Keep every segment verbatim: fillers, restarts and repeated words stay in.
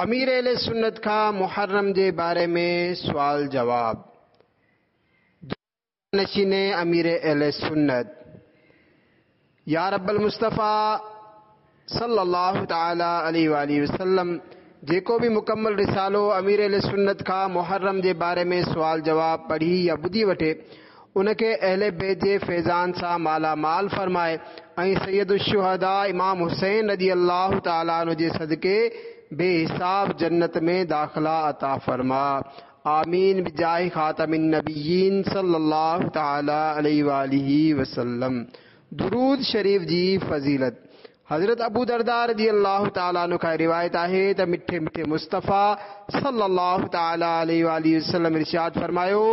अमीर अहले सुन्नत खां मुहर्रम जे बारे में सवाल जवाब। नशीने अमीर अहले सुन्नत या रब्बल मुस्तफ़ा सल्लल्लाहु तआला अलैहि वसल्लम, जेको बि मुकम्मल रिसालो अमीर अहले सुन्नत खां मुहर्रम जे बारे में सवाल जवाब पढ़ी या ॿुधी वठे, उनखे अहले बैत जे फैज़ान सां माला माल फरमाए ऐं सैयद शुहदा इमाम हुसैन रज़ी अल्लाह तआला अन्हु जे सदके बेहिसाब जन्नत में दाखिला अता फरमा। आमीन बिजाहि खातमिन नबिय्यीन सल्लल्लाहु तआला अलैहि वसल्लम। दुरूद शरीफ जी फज़ीलत। हज़रत अबू दरदा रज़ी अल्लाह तआला अन्हु खां रिवायत आहे त मिठे मिठे मुस्तफ़ा सल्लल्लाहु तआला अलैहि वसल्लम इरशाद फरमायो,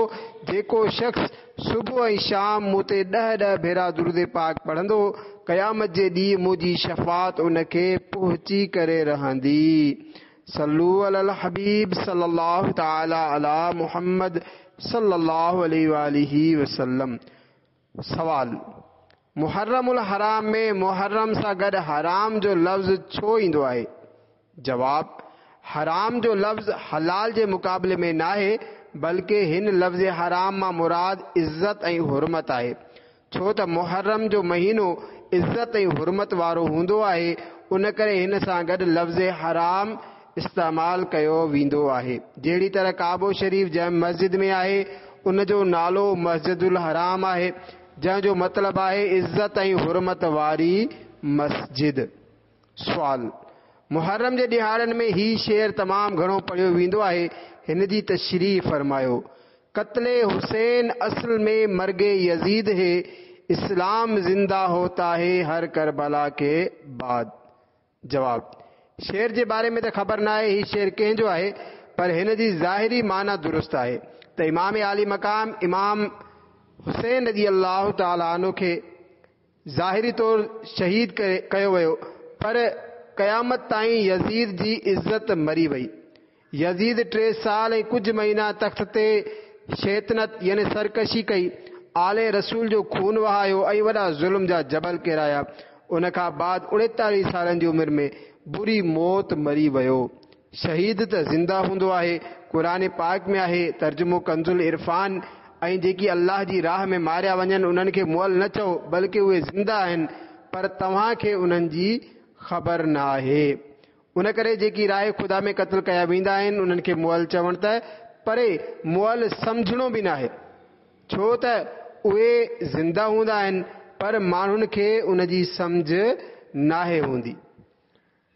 जेको शख्स सुबुह ऐं शाम मूं ते ॾह ॾह भेरा दुरूद पाक पढ़ंदो, क़यामत जे ॾींहुं मुंहिंजी शफ़ात उनखे पहुची करे रहंदी। सल्लू अलल हबीब सल्लल्लाहु तआला अला मुहम्मद सल्लल्लाहु अलैहि वसल्लम। सवाल: मुहर्रमुल हराम में मुहर्रम सां गॾु हराम जो लफ़्ज़ छो ईंदो आहे? जवाब: हराम जो लफ़्ज़ हलाल जे मुक़ाबले में नाहे, बल्कि हिन लफ़्ज़ हराम मां मुराद इज़त ऐं हुरमत आहे। छो त मुहर्रम जो महीनो इज़त ऐं हुरमत वारो हूंदो आहे, उन करे हिन सां गॾु लफ़्ज़ हराम इस्तेमाल कयो वेंदो आहे। जहिड़ी तरह काबो शरीफ जंहिं मस्जिद में आहे, उन जो नालो मस्जिदुल हराम आहे, जंहिंजो मतिलबु आहे इज़त ऐं हुरमत वारी मस्जिद। सवाल: मुहर्रम जे ॾिहाड़नि में ही शेर तमामु घणो पढ़ियो वेंदो आहे, हिन जी तशरीह फरमायो। कत्ले हुसैन असल में मर्गे यजीद है, इस्लाम जिंदा होता है हर करबला के बाद। जवाब: शेर जे बारे में त ख़बर न आहे ही शेर कंहिंजो आहे, पर हिन जी ज़ाहिरी माना दुरुस्त आहे त इमाम आली मकाम इमाम हुसैन रज़ी अल्लाह तआला अन्हु खे ज़ाहिरी तौर शहीद कयो वियो, पर क़यामत ताईं यज़ीद जी इज़त मरी वई। यज़ीद टे साल ऐं कुझु महीना तख़्त ते शैतनत यानी सरकशी कई, आले रसूल जो खून वहायो ऐं वॾा ज़ुल्म जा जबल किराया। उन खां बाद उणेतालीह सालनि जी उमिरि में बुरी मौत मरी वियो। शहीद त ज़िंदा हूंदो आहे, क़ुरान पाक में आहे, तर्जुमो कंज़ुल इरफान, ऐं जेकी अल्लाह जी राह में मारिया वञनि उन्हनि खे मुअल न चओ, बल्कि उहे ज़िंदा आहिनि, पर तव्हांखे उन्हनि जी ख़बर न आहे। उन करे जेकी राह ख़ुदा में क़तल कया वेंदा आहिनि उन्हनि खे मुअल चवण त परे मुअल सम्झणो बि न आहे, छो त उहे ज़िंदा हूंदा आहिनि, पर माण्हुनि खे उनजी सम्झ नाहे हूंदी।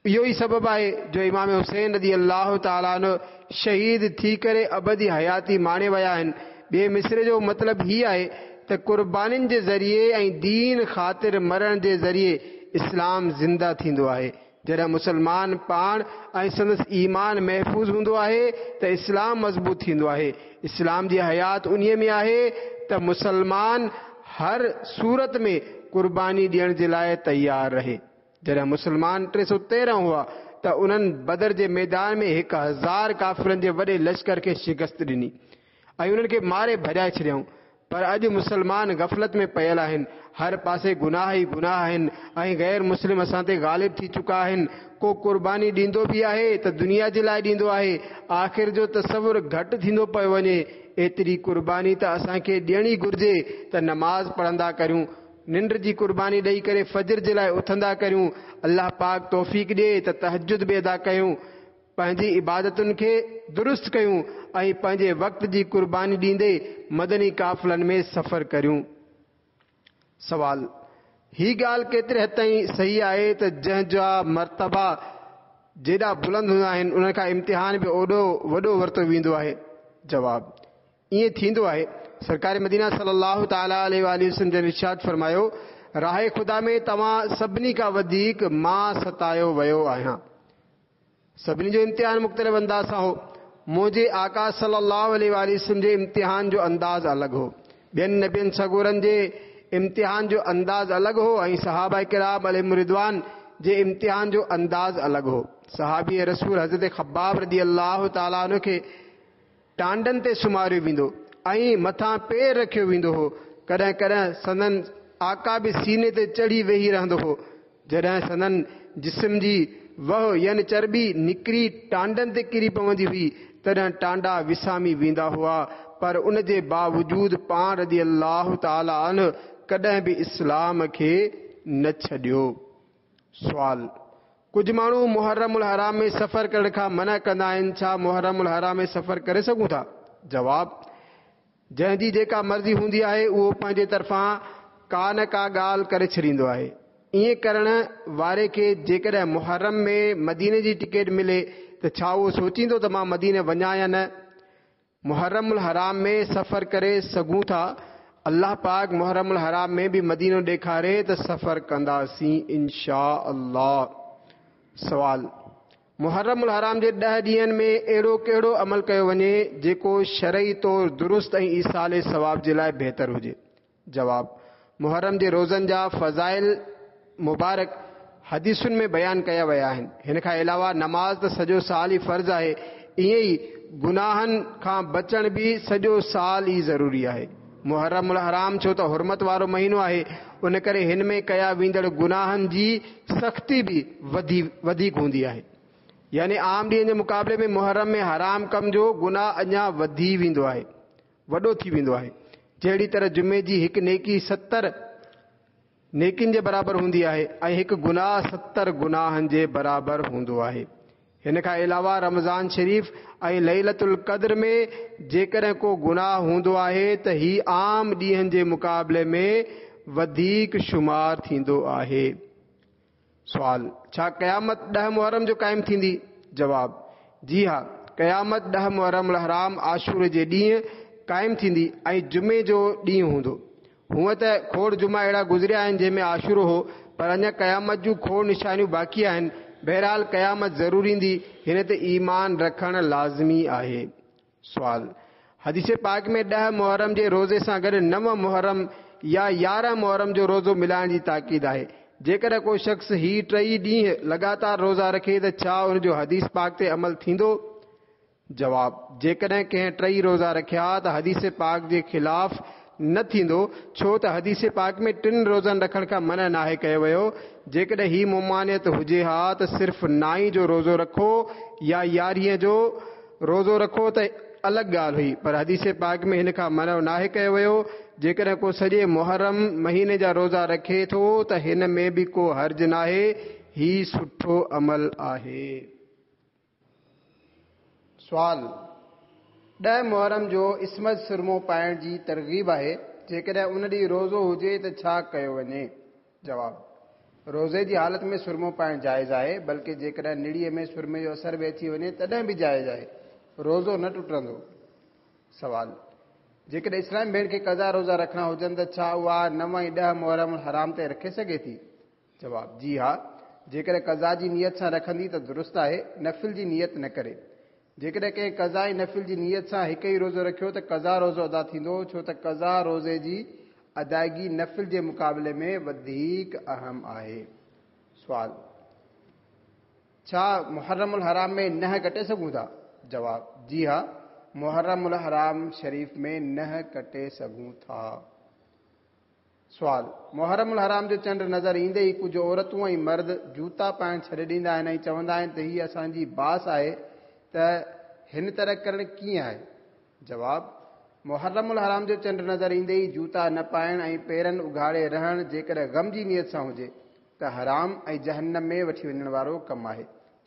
इहो ई सबबु आहे जो इमाम हुसैन रज़ी अल्लाह तआला अन्हु शहीद थी करे अबदी हयाती माणे विया आहिनि। ॿिए मिसरे जो मतिलबु ही आहे त कुर्बानियुनि जे ज़रिए ऐं दीन ख़ातिर मरण जे ज़रिए इस्लाम ज़िंदा थींदो आहे। जॾहिं मुसलमान पाण ऐं संदसि ईमान महफ़ूज़ हूंदो आहे त इस्लाम मज़बूत थींदो आहे। इस्लाम जी हयात उन्हीअ में आहे त मुसलमान हर सूरत में कुर्बानी ॾियण जे लाइ तयारु रहे। जॾहिं मुसलमान टे सौ तेरहं हुआ त उन्हनि बदर जे मैदान में हिकु हज़ार काफ़िरनि जे वॾे लश्कर खे शिकस्त ॾिनी ऐं उन्हनि खे मारे भॼाए छॾियऊं। पर अॼु मुसलमान गफ़लत में पयल आहिनि, हर पासे गुनाह ई गुनाह आहिनि ऐं गैर मुस्लिम असां ते ग़ालिब थी चुका आहिनि। को कुर्बानी ॾींदो बि आहे त दुनिया जे लाइ ॾींदो आहे, आख़िर जो तसवुर घटि थींदो पियो वञे। एतिरी कुर्बानी त असांखे ॾियणी घुर्जे त नमाज़ पढ़ंदा करियूं, निंड जी कुर्बानी ॾेई करे फजर जे लाइ उथंदा करियूं। अल्लाह पाक तौफ़ीक ॾिए त तहज्जुद बि अदा कयूं, पंहिंजी इबादतुनि खे दुरुस्त कयूं ऐं पंहिंजे वक़्त जी कुर्बानी ॾींदे मदनी काफ़िलनि में सफ़र करियूं। सवाल: ही ॻाल्हि केतिरे हद ताईं सही आहे त जंहिंजा मर्तबा जेॾा बुलंद हूंदा आहिनि उन खां इम्तिहान बि ओॾो वॾो वरितो वेंदो आहे? जवाब: ईअं थींदो आहे। सरकार मदीना सल्लल्लाहु तआला अलैहि वसल्लम जन इरशाद फरमायो, राह ख़ुदा में तव्हां सभिनी खां वधीक मां सतायो वियो आहियां। सभिनी जो इम्तिहान मुख़्तलिफ़ अंदाज़ सां हो, मुंहिंजे आका सल्लल्लाहु अलैहि वसल्लम जे इम्तिहान जो अंदाज़ अलॻि हो, ॿियनि नबियुनि सगोरनि जे इम्तिहान जो अंदाज़ अलॻि हो ऐं सहाबा किराम अलैहिम रिदवान जे इम्तिहान जो अंदाज़ अलॻि हो। सहाबी रसूल हज़रत खब्बाब रज़ी अल्लाह तआला अन्हु खे टांडनि ते सुम्हारियो वेंदो ऐं मथां पेर रखियो वेंदो हो। कॾहिं कॾहिं संदन आका बि सीने ते चढ़ी वेही रहंदो हो। जॾहिं संदन جسم جي وهه يعني چرٻي نڪري ٽانڊن تي ڪري پوندي هئي، تڏهن ٽانڊا وسامي ويندا هئا، پر ان جي باوجود پاڻ رضي الله تعالٰي عنه ڪڏهن به اسلام کي نه ڇڏيو. سوال: ڪجهه ماڻهو محرم الحرام ۾ سفر ڪرڻ کان منع ڪندا آهن، ڇا محرم الحرام ۾ سفر ڪري سگهون ٿا؟ جواب: جنهن جي جيڪا مرضي هوندي آهي اهو پنهنجي طرفان ڪا نه ڪا ڳالهه ڪري ڇڏيندو آهي. ائين ڪرڻ واري کي جيڪڏهن محرم ۾ مديني جي ٽڪيٽ ملي ته ڇا اهو سوچيندو ته مان مديني وڃان يا نه؟ محرم الحرام ۾ سفر ڪري سگهون ٿا. الله پاڪ محرم الحرام ۾ به مدينو ڏيکاري ته سفر ڪنداسين انشاء الله. سوال: محرم الحرام جي ڏهه ڏينهن ۾ اهڙو ڪهڙو عمل ڪيو وڃي جيڪو شرعي طور درست ۽ ايصال ثواب جي لاء بهتر هجي؟ جواب: محرم جي روزن جا فضائل مبارڪ حديثن ۾ بيان ڪيا ويا آهن. هن کان علاوه نماز ته سڄو سال ئي فرض آهي، ائين ئي گناهن کان بچڻ به سڄو سال ئي ضروري آهي. محرم الحرام ڇو ته حرمت وارو مهينو آهي، ان ڪري هن ۾ ڪيا ويندڙ گناهن جي سختي به وڌيڪ هوندي آهي. يعني عام ڏينهن جي مقابلي ۾ محرم ۾ حرام ڪم جو گناهه اڃا وڌي ويندو آهي، وڏو ٿي ويندو آهي. جهڙي طرح جمعي جي هڪ نيڪي ستر نيڪين جي برابر هوندي آهي ۽ هڪ گناهه ستر گناهن جي برابر هوندو آهي. هن کان علاوه رمضان شريف ۽ ليلة القدر ۾ جيڪڏهن ڪو گناهه هوندو آهي ته هي عام ڏينهن جي مقابلي ۾ وڌيڪ شمار ٿيندو آهي. سوال: ڇا قيامت ڏهه محرم جو قائم ٿيندي؟ جواب: جي ها، قيامت ڏهه محرم الحرام عاشور جي ڏينهن قائم ٿيندي ۽ جمعي جو ڏينهن هوندو. هونء ته کوڙ جمعا اهڙا گذريا آهن جنهن ۾ عاشورو هو، پر اڃا قيامت جون کوڙ نشانيون باقي آهن. بهرحال قيامت ضرور ايندي، هن تي ايمان رکڻ لازمي آهي. سوال: حديث پاڪ ۾ ڏهه محرم جي روزي سان گڏ نو محرم يا يارهن محرم جو روزو ملائڻ جي تاڪيد آهي. جيڪڏهن ڪو شخص هي ٽئي ڏينهن لڳاتار روزا رکي ته ڇا ان جو حديث پاڪ تي عمل ٿيندو؟ جواب: جيڪڏهن ڪنهن ٽئي روزا رکيا ته حديث پاڪ جي خلاف نه ٿيندو، ڇو ته حديث پاڪ ۾ ٽن روزن رکڻ کان منع ناهي ڪيو ويو. جيڪڏهن هي ممانعت هجي ها ته صرف نائين جو روزو رکو يا يارهين جو روزو رکو ته الڳ ڳالهه هئي، پر حديث پاڪ ۾ هن کان منع ناهي ڪيو ويو. جيڪڏهن ڪو سڄي محرم مهيني جا روزا رکي ٿو ته هن ۾ به ڪو حرج ناهي، هي سٺو عمل آهي. سوال: ڏهه محرم جو اسمد سرمو پائڻ جي ترغيب آهي، جيڪڏهن ان ڏينهن روزو هجي ته ڇا ڪيو وڃي؟ جواب: روزي جي حالت ۾ سرمو پائڻ جائز آهي، بلڪه جيڪڏهن نڙيء ۾ سرمي جو اثر به اچي وڃي تڏهن به جائز آهي، روزو نه ٽٽندو. سوال: جيڪڏهن اسلام ڀيڻ کي قضا روزا رکڻا هجن ته ڇا اها نو ۽ ڏهه محرم الحرام تي رکي سگهي ٿي؟ جواب: جي ها، جيڪڏهن قضا جي نيت سان رکندي ته درست آهي، نفل جي نيت نه ڪري. جيڪڏهن ڪنهن قضا ۽ نفل جي نيت سان هڪ ئي روزو رکيو ته قضا روزو ادا ٿيندو، ڇو ته قضا روزي جي ادائگي نفل جي مقابلي ۾ وڌيڪ اهم آهي. سوال: ڇا محرم الحرام ۾ ننهن ڪٽي سگهون ٿا؟ جواب: جي ها، محرم الحرام شريف ۾ ننهن ڪٽي سگهون ٿا. سوال: محرم الحرام جو چنڊ نظر ايندي ئي ڪجهه عورتون ۽ مرد جوتا پائڻ ڇڏي ڏيندا آهن ۽ چوندا آهن ته هي اسان جي باس آهي، ته هن طرح ڪرڻ ڪيئن آهي؟ جواب: محرم الحرام جو چنڊ نظر ايندي ئي جوتا نه پائڻ ۽ پيرن اگهاڙي رهڻ جيڪڏهن غم جي نيت سان هجي ته حرام ۽ جهنم ۾ وٺي وڃڻ وارو ڪم آهي.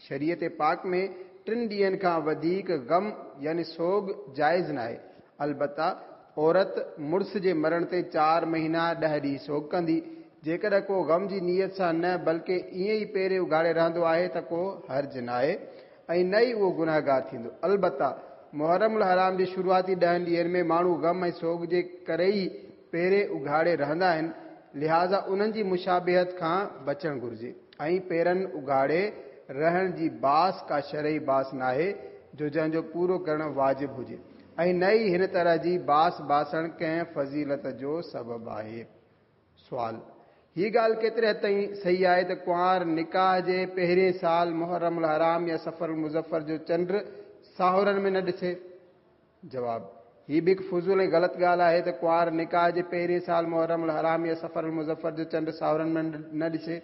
شريعت پاڪ ۾ ٽن ڏينهن کان وڌيڪ غم يعني سوڳ جائز ناهي. البته عورت مڙس جي مرڻ تي چار مهينا ڏهه ڏينهن سوڳ ڪندي. جيڪڏهن ڪو غم جي نيت سان نه بلڪه ائين ئي پيري اگهاڙي رهندو آهي ته ڪو حرج ناهي ۽ نه ئي اهو گناهگار ٿيندو. البته محرم الحرام جي شروعاتي ڏهن ڏينهن ۾ ماڻهو غم ۽ سوڳ جي ڪري ئي پيري اگهاڙي رهندا آهن، لهٰذا انهن جي مشابهت کان بچڻ گهرجي ۽ پيرن اگهاڙي رهڻ جي باس ڪا شرعي باس ناهي جو جنهن جو پورو ڪرڻ واجب هجي ۽ نه ئي هن طرح جي باس باسڻ ڪنهن فضيلت جو سبب آهي. سوال: هي ڳالهه ڪيتري حد تائين صحيح آهي ته ڪنوار نڪاح جي پهرين سال محرم الحرام يا صفر المظفر جو چنڊ ساهرن ۾ نه ڏسي؟ جواب: هي به هڪ فضول ۽ غلط ڳالهه آهي ته ڪنوار نڪاح جي پهرين سال محرم الحرام يا صفر المظفر جو چنڊ ساهرن ۾ نه ڏسي.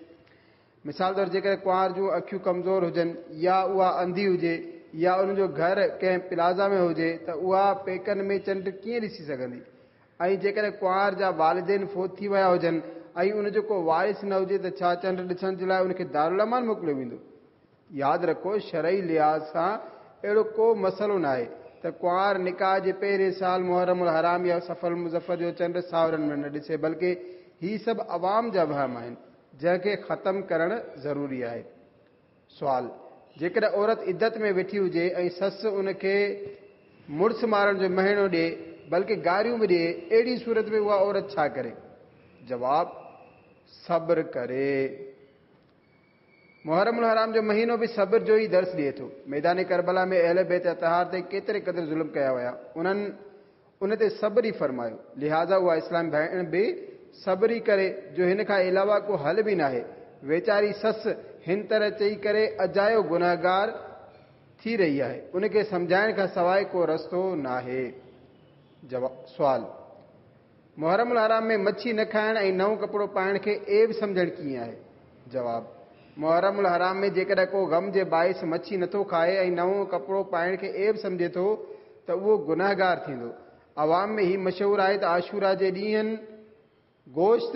مثال طور جيڪڏهن ڪنوار جون اکيون ڪمزور هجن يا اها انڌي هجي يا ان جو گهر ڪنهن پلازا ۾ هجي ته اها پيڪن ۾ چنڊ ڪيئن ڏسي سگهندي؟ ۽ جيڪڏهن ڪنوار جا والدين فوت ٿي ويا هجن ۽ ان جو ڪو وارث نه هجي ته ڇا چنڊ ڏسڻ جي لاء ان کي دارالامان موڪليو ويندو؟ ياد رکو، شرعي لحاظ سان اهڙو ڪو مسئلو ناهي ته ڪنوار نڪاح جي پهرين سال محرم الحرام يا صفر المظفر جو چنڊ ساهرن ۾ نه ڏسي، بلڪه هي سڀ عوام جا وهم آهن، جنهن کي ختم ڪرڻ ضروري آهي. سوال، جيڪڏهن عورت عدت ۾ ويٺي هجي ۽ سس ان کي مڙس مارڻ جو مهڻو ڏئي، بلڪه گاريون به ڏئي، اهڙي صورت ۾ اها عورت ڇا ڪري؟ جواب، صبر ڪري. محرم الحرام جو مهينو به صبر جو ئي درس ڏئي ٿو. ميدان ڪربلا ۾ اهل بيت اطهار تي ڪيتري قدر ظلم ڪيا ويا، انهن ان تي صبر ئي فرمايو. لهٰذا اها اسلام ڀيڻ به صبر ئي ڪري، جو هن کان علاوه ڪو حل به ناهي. ويچاري سس هن طرح چئي ڪري اجايو گنهگار ٿي رهي آهي، ان کي سمجهائڻ کان سواء ڪو رستو ناهي. جواب، سوال، محرم الحرام ۾ مڇي نه کائڻ ۽ نئون ڪپڙو پائڻ کي عيب سمجهڻ ڪيئن آهي؟ جواب، محرم الحرام ۾ جيڪڏهن ڪو غم جي باعث مڇي نٿو کائي ۽ نئون ڪپڙو پائڻ کي عيب سمجهي ٿو ته اهو گنهگار ٿيندو. عوام ۾ هي مشهور آهي ته عاشورا جي ڏينهن گوشت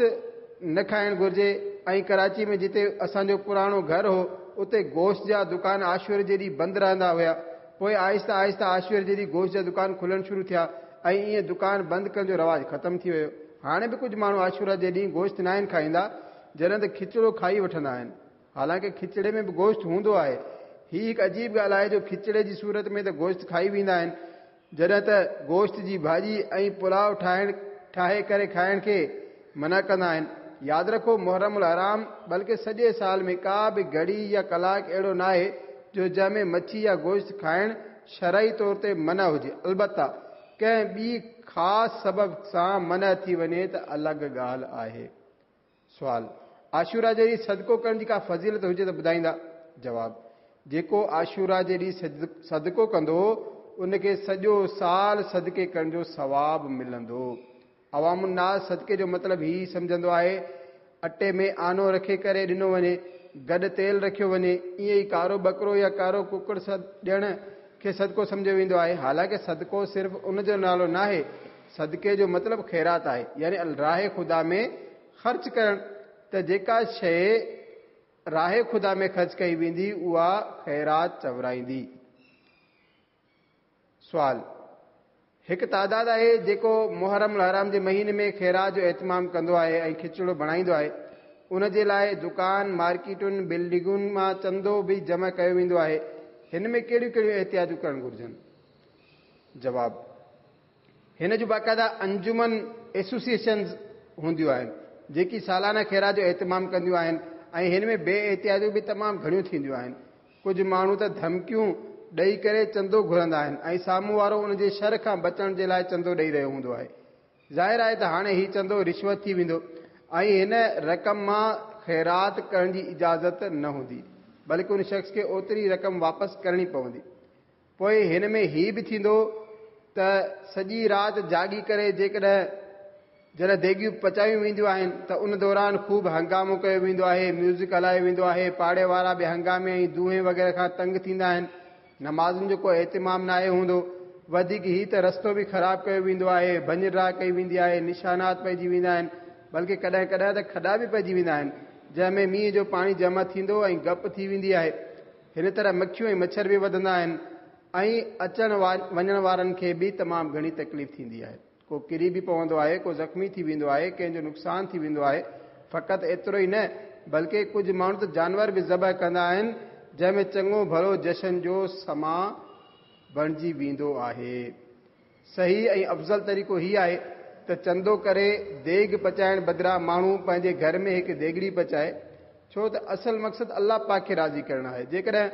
نه کائڻ گهرجي ۽ ڪراچي ۾ جتي اسان جو پراڻو گهر هو اتي گوشت جا دڪان عاشور جي ڏينهن بند رهندا هيا. پوء آهستي آهستي عاشور جي ڏينهن گوشت جا دڪان کلڻ شروع ٿيا ۽ ائين دڪان بند ڪرڻ جو رواج ختم ٿي ويو. هاڻي به ڪجهه ماڻهو عاشورا جي ڏينهن گوشت ناهن کائيندا، جڏهن ته کچڙو کائي وٺندا آهن. حالانڪه کچڙي ۾ به گوشت هوندو آهي. هي هڪ عجيب ڳالهه آهي جو کچڙي جي صورت ۾ ته گوشت کائي ويندا آهن، جڏهن ته گوشت جي ڀاڄي ۽ پلاء ٺاهڻ ٺاهي ڪري کائڻ کي منع ڪندا آهن. ياد رکو، محرم الحرام بلڪه سڄي سال ۾ ڪا به گهڙي يا ڪلاڪ اهڙو ناهي جو جنهن ۾ مڇي يا گوشت کائڻ شرعي طور تي منع هجي، البته ڪنهن ٻي خاص سبب سان منع ٿي وڃي ته الڳ ڳالهه آهي. سوال، عاشورا جي ڏينهن صدقو ڪرڻ جي ڪا فضيلت هجي ته ٻڌائيندا؟ جواب، جيڪو عاشورا جي ڏينهن صدقو ڪندو ان کي سڄو سال صدقي ڪرڻ جو ثواب ملندو. عوام الناس صدقي جو مطلب هي سمجهندو آهي اٽي ۾ آنو رکي ڪري ڏنو وڃي، گڏ تيل رکيو وڃي، ائين ئي ڪارو ٻڪرو يا ڪارو ڪڪڙ ڏيڻ کي صدقو سمجهيو ويندو آهي. حالانڪه صدقو صرف ان جو نالو ناهي، صدقي جو مطلب خيرات آهي، يعني راهه خدا ۾ خرچ ڪرڻ. ته جيڪا شيء راهه خدا ۾ خرچ ڪئي ويندي اها خيرات چورائيندي. سوال، هڪ تعداد آهي جيڪو محرم الحرام جي مهيني ۾ خيرات جو اهتمام ڪندو آهي ۽ کچڙو بڻائيندو آهي، ان جي لاء دڪان، مارڪيٽن، بلڊنگن مان چندو به جمع ڪيو ويندو آهي، هن ۾ ڪهڙيون ڪهڙيون احتياطون ڪرڻ گهرجن؟ جواب، هن جون باقاعده انجمن، ايسوسيئيشنز، هونديون آهن، جيڪي سالانه خيرات جو اهتمام ڪنديون آهن ۽ هن ۾ بي احتياطيون به تمام گهڻيون ٿينديون آهن. ڪجهه ماڻهو ته ڌمڪيون ڏئي ڪري چندو گهرندا آهن ۽ سامهون وارو ان جي شر کان بچڻ جي لاء چندو ڏئي رهيو هوندو آهي. ظاهر آهي ته هاڻي هي چندو رشوت ٿي ويندو ۽ هن رقم مان خيرات ڪرڻ جي اجازت نه هوندي، بلڪه ان شخص کي اوتري رقم واپس ڪرڻي پوندي. پوء هن ۾ هي به ٿيندو ته سڄي رات جاڳي ڪري جيڪڏهن جڏهن ديڳيون پچايون وينديون آهن ته ان دوران خوب هنگامو ڪيو ويندو آهي، ميوزڪ هلايو ويندو آهي، پاڙي وارا به هنگامي ۽ دونهين وغيره کان تنگ ٿيندا آهن، نمازن جو ڪو اهتمام ناهي هوندو، وڌيڪ هي ته رستو به خراب ڪيو ويندو آهي، ڀڃ ڊاهه ڪئي ويندي آهي، نشانات پئجي ويندا آهن، بلڪه ڪڏهن ڪڏهن ته کڏا به پئجي ويندا آهن، جنهن ۾ مينهن جو پاڻي جمع ٿيندو ۽ گپ ٿي ويندي آهي. هن طرح مکيون ۽ مڇر به وڌندا آهن ۽ اچڻ وڃڻ وارن کي به تمام گهڻي تڪليف ٿيندي آهي. ڪو ڪري به پوندو آهي، ڪو زخمي ٿي ويندو آهي، ڪنهن جو نقصان ٿي ويندو آهي. فقط ايترو ئي نه بلڪه ڪجهه ماڻهو ته جانور به ذبح ڪندا آهن، جنهن ۾ چڱو ڀلو جشن جو سما بڻجي ويندو آهي. صحيح ۽ افضل طريقو هي آهي ته چندو ڪري ديڳ پچائڻ بدران ماڻهو پنهنجي گهر ۾ هڪ ديڳڙي پچائي، ڇو ته اصل مقصد الله پاڪ کي راضي ڪرڻ آهي. جيڪڏهن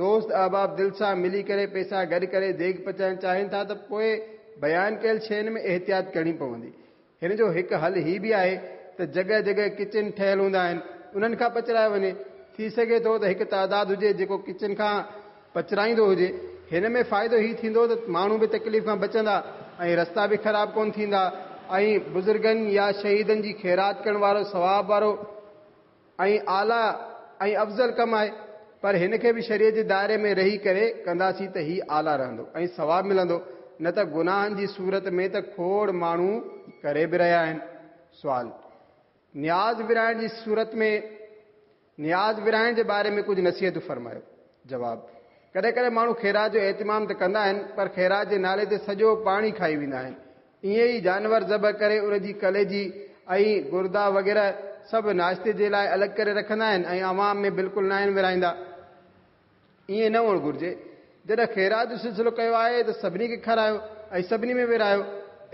دوست احباب دل سان ملي ڪري پئسا گڏ ڪري ديڳ پچائڻ چاهين ٿا ته پوء بيان ڪيل شين ۾ احتياط ڪرڻي پوندي. هن جو هڪ حل هي به آهي ته جڳهه جڳهه ڪچن ٺهيل هوندا آهن، انهن کان پچرايو وڃي. ٿي سگهي ٿو ته هڪ تعداد هجي جيڪو ڪچن کان پچرائيندو هجي. هن ۾ فائدو هي ٿيندو ته ماڻهو به تڪليف کان بچندا ۽ رستا به خراب ڪونه ٿيندا ۽ بزرگن يا شهيدن جي خيرات ڪرڻ وارو ثواب وارو ۽ اعليٰ ۽ افضل ڪم آهي، پر هن کي به شريعت جي دائري ۾ رهي ڪري ڪنداسين ته هي اعليٰ رهندو ۽ ثواب ملندو، نه ته گناهن جي صورت ۾ ته کوڙ ماڻهو ڪري به رهيا آهن. سوال، نياز ورهائڻ جي صورت ۾ نياز ورهائڻ جي باري ۾ ڪجهه نصيحتون فرمايو. جواب، ڪڏهن ڪڏهن ماڻهو خيرات جو اهتمام ته ڪندا آهن، پر خيرات جي نالي تي سڄو پاڻي کائي ويندا آهن. ائين ئي جانور ذبح ڪري ان جي ڪليجي ۽ گردا وغيره سڀ ناشتي جي لاء الڳ ڪري رکندا آهن ۽ عوام ۾ بلڪل ناهن ورهائيندا. ائين نه هئڻ گهرجي. جڏهن خيرات جو سلسلو ڪيو آهي ته سڀني کي کارايو ۽ سڀني ۾ ورهايو.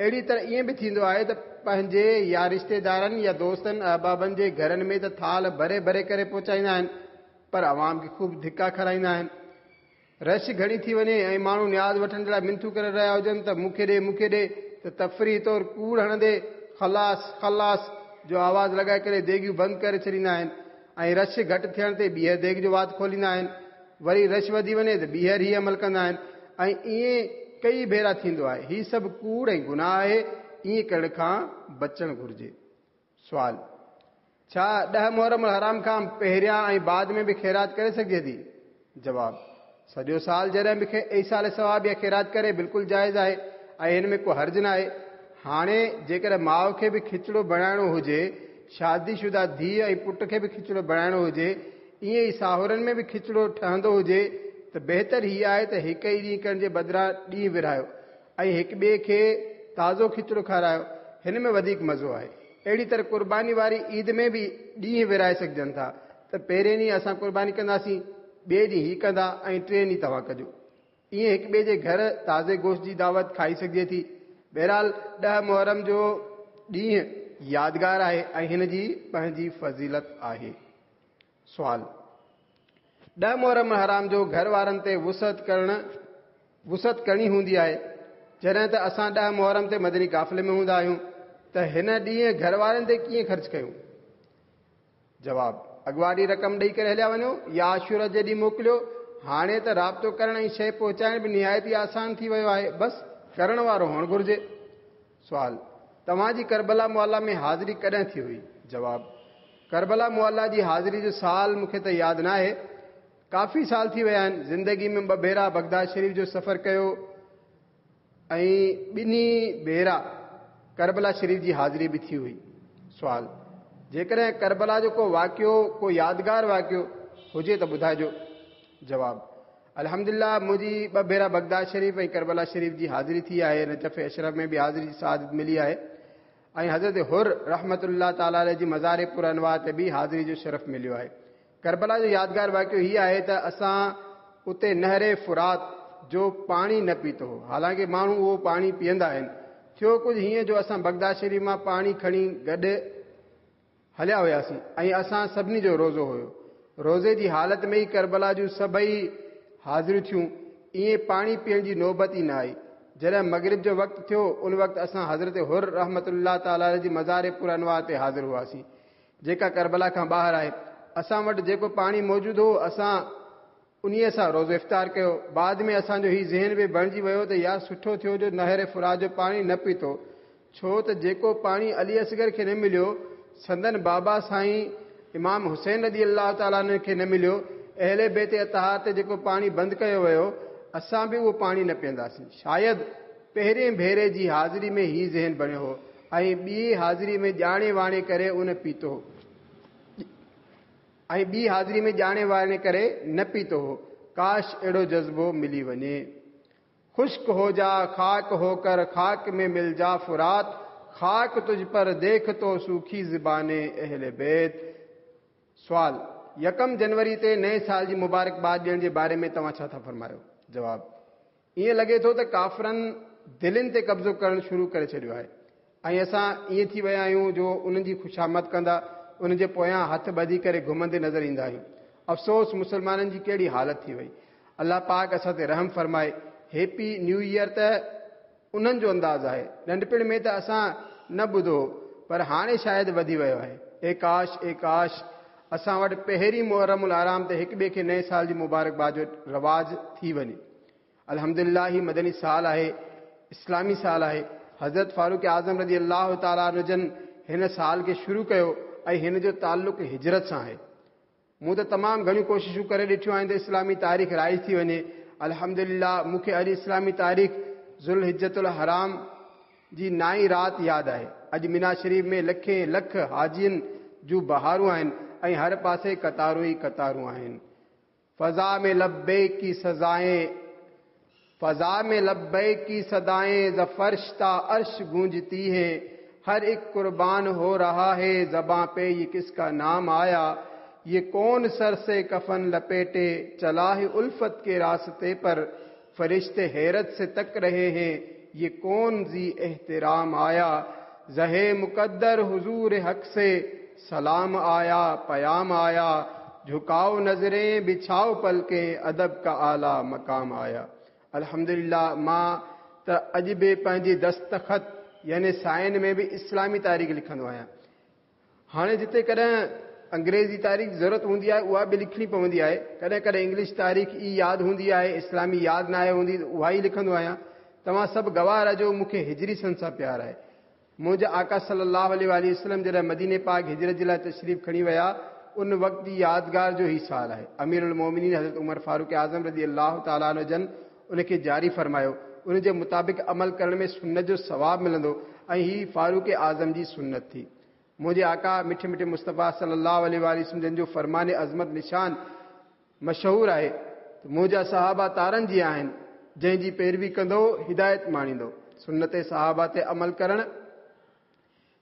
اهڙي طرح ائين به ٿيندو آهي ته پنهنجي يا رشتيدارن يا دوستن احبابن جي گهرن ۾ ته ٿال ڀري ڀري ڪري پهچائيندا آهن، پر عوام کي خوب ڌڪا کارائيندا آهن. رش گهڻي ٿي وڃي ۽ ماڻهو نياز وٺڻ جي لاء منٿون ڪري رهيا هجن ته مون کي ڏي مون کي ڏي ته تفريح طور ڪوڙ هڻندي خلاص خلاص جو آواز لڳائي ڪري ديڳيون بند ڪري ڇڏيندا آهن ۽ رش گهٽ ٿيڻ تي ٻيهر ديڳ جو وات کوليندا آهن. وري رش وڌي وڃي ته ٻيهر هي عمل ڪندا آهن ۽ ائين ڪئي ڀيرا ٿيندو آهي. هي سڀ ڪوڙ ۽ گناهه آهي، ائين ڪرڻ کان بچڻ گهرجي. سوال، ڇا ڏهه محرم الحرام کان پهريان ۽ بعد ۾ به خيرات ڪري سگهجي ٿي؟ جواب، سڄو سال جڏهن به ايصال ثواب يا خيرات ڪري بلڪل جائز آهي ۽ هن ۾ ڪو حرج نه آهي. هاڻي جيڪڏهن ماءُ کي به کچڙو بڻائڻو هجي، شادي شده ڌيء ۽ پٽ کي به کچڙو بڻائڻو هجي، ائين ئي ساهورن ۾ به کچڙو ٺهندو هجي ته بهتر هي آهي ته هڪ ئي ڏينهن ڪرڻ جي بدران ڏينهن ورهايو ۽ هڪ ٻئي کي تازو کچڙو کارايو، هن ۾ وڌيڪ مزو آهي. اهڙي طرح قرباني واري عيد ۾ به ڏينهن ورهائي سگهجن ٿا ته پهرين ڏينهن اسان قرباني ڪنداسين، ٻئي ڏينهن هي ڪندا ۽ ٽئين ڏينهن توهان ڪجو. ائين هڪ ٻئي جي گهر تازي گوشت جي دعوت کائي سگهجي ٿي. بهرحال ڏهه محرم جو ڏينهن يادگار آهي ۽ هن جي پنهنجي فضيلت آهي. سوال، ڏهه محرم الحرام جو گهر وارن تي وسعت ڪرڻ وسعت ڪرڻي هوندي آهي، جڏهن ته اسان ڏهه محرم تي مدني قافلي ۾ هوندا آهيون ته هن ڏينهن گهر وارن تي ڪيئن خرچ ڪيون؟ جواب، اڳواٽي رقم ڏئي ڪري هليا وڃو يا عاشورا جي ڏينهن موڪليو. هاڻي ته رابطو ڪرڻ ۽ شيء پهچائڻ به نهايت ئي آسان ٿي ويو آهي، بس ڪرڻ وارو هئڻ گهرجي. سوال، توهان جي ڪربلا معليٰ ۾ حاضري ڪڏهن ٿي هئي؟ جواب، ڪربلا معليٰ جي حاضري جو سال مون کي ته ياد نه آهي، ڪافي سال ٿي ويا آهن. زندگي ۾ ٻه ڀيرا بغداد شريف جو سفر ڪيو ۽ ٻنهي ڀيرا ڪربلا شريف جي حاضري به ٿي هئي. سوال، جيڪڏهن ڪربلا جو ڪو واقعو، ڪو يادگار واقعو هجي ته ٻڌائجو. جواب، الحمدلله منهنجي ٻه ڀيرا بغداد شريف ۽ ڪربلا شريف جي حاضري ٿي آهي. نجف اشرف ۾ به حاضري جي سعادت ملي آهي ۽ حضرت حر رحمت الله تعاليٰ عليه جي مزار پر انوار تي به حاضري جو شرف مليو آهي. ڪربلا جو يادگار واقعو هي آهي ته اسان اتي نهر فرات جو پاڻي نه پيتو هو، حالانڪه ماڻهو اهو پاڻي پيئندا آهن. ٿيو ڪجهه هيئن جو اسان بغداد شريف مان پاڻي کڻي گڏ هليا هياسين ۽ اسان سڀني جو روزو هيو. روزي جي حالت ۾ ئي ڪربلا جون سڀئي حاضريون ٿيون، ائين پاڻي پيئڻ جي نوبت ئي نه آئي. جڏهن مغرب جو وقت ٿيو، ان وقت اسان حضرت حر رحمت الله تعاليٰ عليه جي مزار پر انوار تي حاضر هئاسين، جيڪا ڪربلا کان ٻاهر آهي. اسان وٽ جيڪو پاڻي موجود هو، اسان انهيء سان روزو افطار ڪيو. بعد ۾ اسان جو هي ذهن به بڻجي ويو ته يار سٺو ٿيو جو نهر فرات جو پاڻي نه پيتو، ڇو ته جيڪو پاڻي علي اصغر کي نه مليو، سندن بابا سائين امام حسين رضي الله تعالٰي عنه کي نه مليو، اهل بيت اطهار تي جيڪو پاڻي بند ڪيو ويو، اسان به اهو پاڻي نه پيئنداسين. شايد پهرين ڀيري جي حاضري ۾ هي ذهن بڻيو هو ۽ ٻي حاضري ۾ ڄاڻي واڻي ڪري ان پيتو هو ۽ ٻي حاضري ۾ ڄاڻي واڻي ڪري نه پيتو هو. ڪاش اهڙو جذبو ملي وڃي. خشڪ هو جا خاڪ هو ڪر خاڪ ۾ مل جا فرات، خاڪ تجھ پر ديک تو سوکي زبان اهل بيت. سوال، يڪم جنوري تي نئين سال جي مبارڪباد ڏيڻ جي باري ۾ توهان ڇا ٿا فرمايو؟ جواب، ائين لڳي ٿو ته ڪافرن دلين تي قبضو ڪرڻ شروع ڪري ڇڏيو آهي ۽ اسان ائين ٿي ويا آهيون جو انهن جي خوشامد ڪندا انهن جي پويان هٿ ٻڌي ڪري گهمندي نظر ايندا آهيون. افسوس مسلمانن جي ڪهڙي حالت ٿي وئي. الله پاڪ اسان تي رحم فرمائي. هيپي نيو ايئر ته انهن جو انداز آهي. ننڍپڻ ۾ ته اسان نه ٻڌو هو پر هاڻي شايد وڌي ويو آهي. اي ڪاش اي ڪاش اسان وٽ پهرين محرم الحرام تي هڪ ٻئي کي نئين سال جي مبارڪباد جو رواج ٿي وڃي. الحمدلله هي مدني سال آهي، اسلامي سال آهي. حضرت فاروق اعظم رضي الله تعالٰي عنه جن هن سال کي شروع ڪيو ۽ هن جو تعلق هجرت سان آهي. मूं त तमामु घणियूं कोशिशूं करे ॾिठियूं आहिनि त इस्लामी तारीख़ राइज थी वञे। अल्हम्दुलिल्लाह मूंखे अॼु इस्लामी तारीख़ ज़ुल हिज्जतुल हराम जी नाई राति यादि आहे। अॼु मीना शरीफ़ में लखे लख हाजियुनि जूं बहारूं आहिनि ऐं हर पासे कतारूं ई कतारूं आहिनि। फ़ज़ा में लब्बैक की सज़ाएं फ़ज़ा में लब्बैक की सदाएं ज़फ़र्श ता अर्श गूंजती हैं। हर एक कुर्बान हो रहा है ज़बां पे ये किसका नाम आया। ये कौन सर से कफन लपेटे चला है उल्फत के रास्ते पर। फरिश्ते हैरत से तक रहे हैं ये कौन जी एहतराम आया। ज़हे मुकद्दर हुजूर हक से सलाम आया पयाम आया। झुकाओ नजरें बिछाओ पलकें अदब का आला मकाम आया। अल्हम्दुलिल्लाह मां त अॼु बि पंहिंजी दस्तख़त यानी साइन में बि इस्लामी तारीख़ लिखंदो आहियां। हाणे जिते कॾहिं अंग्रेज़ी तारीख़ ज़रूरत हूंदी आहे उहा बि लिखणी पवंदी आहे। कॾहिं कॾहिं इंग्लिश तारीख़ ई यादि हूंदी आहे, इस्लामी यादि न आहे हूंदी त उहा ई लिखंदो आहियां। तव्हां सभु गवाह रहिजो मूंखे हिजरी सन सां प्यार आहे। मुंहिंजा आका सल्लल्लाहु अलैहि वसल्लम जॾहिं मदीने पाक हिजरत जे लाइ तशरीफ़ खणी विया उन वक़्त जी यादगार जो ही साल आहे। अमीरुल मोमिनीन हज़रत उमर फ़ारूक आज़म रज़ी अल्लाह तआला अन्हु जन उनखे जारी फरमायो। उन जे मुताबिक़ अमल करण में सुन्नत जो सवाब मिलंदो ऐं ही फ़ारूक आज़म जी सुन्नत थी। मुंहिंजे आका मिठे मिठे मुस्तफ़ा सल्लल्लाहु अलैहि वसल्लम जन जो फरमान अज़मत निशान मशहूर आहे त मुंहिंजा सहाबा तारनि जीअं आहिनि, जंहिंजी पैरवी कंदो हिदायत माणींदो। सुन्नत सहाबा ते अमल करण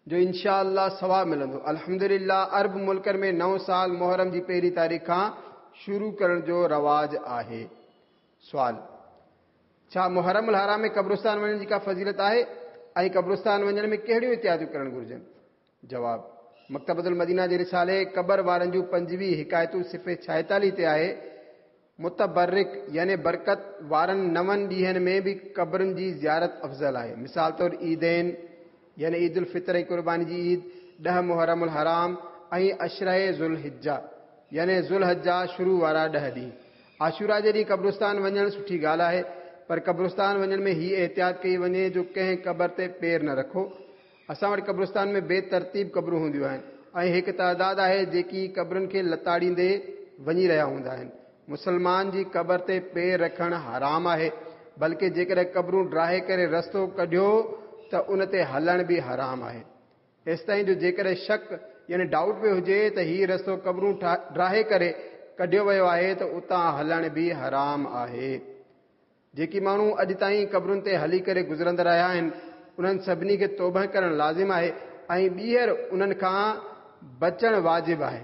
जो इंशा अल्लाह सवाब मिलंदो। अल्हम्दुलिल्लाह अरब मुल्कनि में नओं साल मुहर्रम जी पहिरीं तारीख़ खां शुरू करण जो रवाज आहे। सुवाल, छा मुहर्रम उल हराम में क़ब्रिस्तान वञण जी का फ़ज़ीलत आहे ऐं क़ब्रिस्तान वञण में कहिड़ियूं एहतियातूं करणु घुर्जनि? जवाब, मकतबतुल मदीना जे रिसाले क़बर वारनि जूं पंजवीह हिकायतूं सिफ़े छाएतालीह ते आहे। मुतबर्रिक यानी बरकत वारनि नवनि ॾींहनि में बि क़बरुनि जी ज़ियारत अफ़ज़ल आहे। मिसाल तौरु ईदैन यानी ईद उल फ़ितर ऐं क़ुर्बानी जी ईद, ॾह मुहर्रम उल हराम ऐं अशरे ज़ुल हिज्जा यानी ज़ुल हज्जा शुरू वारा ॾह ॾींहं। आशूरा जे ॾींहुं क़ब्रिस्तान वञणु सुठी ॻाल्हि आहे, पर क़ब्रिस्तान वञण में हीअ एहतियात कई वञे जो कंहिं क़बर ते पेर न रखो। असां वटि क़ब्रिस्तान में बेतरतीब क़बरूं हूंदियूं आहिनि ऐं हिकु तादाद आहे जेकी क़बरुनि खे लताड़ींदे वञी रहिया हूंदा आहिनि। मुसलमान जी क़बर ते पेर रखणु हराम आहे, बल्कि जेकॾहिं क़बरूं ड्राहे करे रस्तो कढियो त उन ते हलणु बि हराम आहे। एसि ताईं जो जेकॾहिं शक यानी डाउट में हुजे त हीउ रस्तो क़बरूं ड्राहे करे कढियो वियो आहे त उतां हलणु बि हराम आहे। जेकी माण्हू अॼु ताईं क़बरुनि ते हली करे गुज़रंदा रहिया आहिनि उन्हनि सभिनी खे तौबा करणु लाज़िम आहे ऐं ॿीहर उन्हनि खां बचणु वाजिब आहे।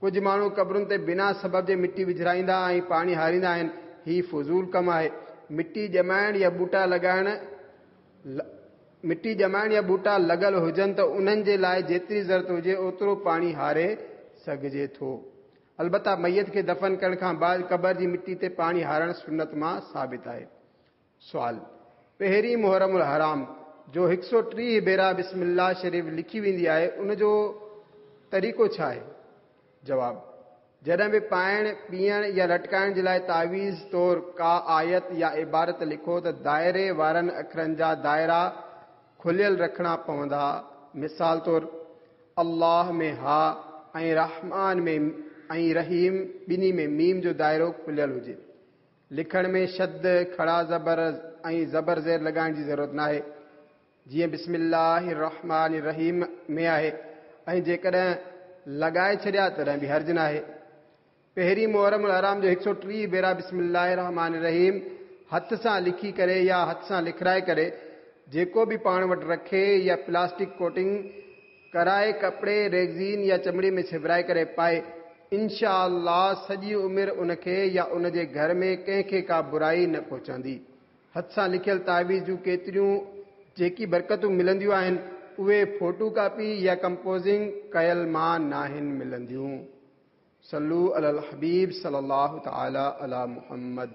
कुझु माण्हू क़बरुनि ते बिना सबब जे मिटी विझराईंदा ऐं पाणी हारींदा आहिनि। हीउ फुज़ूल कमु आहे। मिटी ॼमाइण या ॿूटा लॻाइण मिटी ॼमाइण या ॿूटा लॻल हुजनि त उन्हनि जे लाइ जेतिरी ज़रूरत हुजे ओतिरो पाणी हारे सघिजे थो। अलबत्ता मैयत खे दफ़न करण खां बाद क़बर जी मिटी ते पाणी हारणु सुन्नत मां साबित आहे। सुवाल, पहिरीं मुहर्रम उल हराम जो हिकु सौ टीह भेरा बिस्मिल्लाह शरीफ़ लिखी वेंदी आहे उनजो तरीक़ो छा आहे? जवाब, जॾहिं बि पाइण पीअण या लटकाइण जे लाइ तावीज़ तौरु का आयत या इबारत लिखो त दायरे वारनि अखरनि जा दायरा खुलियल रखणा पवंदा। मिसाल तौरु अल्लाह में हा ऐं रहमान में ऐं रहीम ॿिन्ही में मीम जो दायरो खुलियल हुजे। लिखण में शद, खड़ा ज़बर ऐं ज़बर ज़ेर लॻाइण जी ज़रूरत न आहे, जीअं बिस्मिल्लाह रहमान रहीम में आहे, ऐं जेकॾहिं लॻाए छॾिया तॾहिं बि हर्ज न आहे। पहिरीं मुहर्रम उल हराम जो हिकु सौ टीह भेरा बिस्मिल्लाह रहमान रहीम हथ सां लिखी करे या हथ सां लिखाए करे जेको बि पाण वटि रखे या प्लास्टिक कोटिंग कराए कपिड़े, रेगज़ीन या चमड़ी में छिबराए करे पाए, इंशा अल्लाह सॼी उमिरि उनखे या उनजे घर में कंहिंखे का बुराई न पहुचंदी। हथ सां लिखियल तावीज़ जूं केतिरियूं जेकी बरकतूं मिलंदियूं आहिनि उहे फोटो कॉपी या कंपोज़िंग कयल मां नाहिनि मिलंदियूं। सल्लू अलल हबीब सल्लल्लाहु तआला अला मुहम्मद।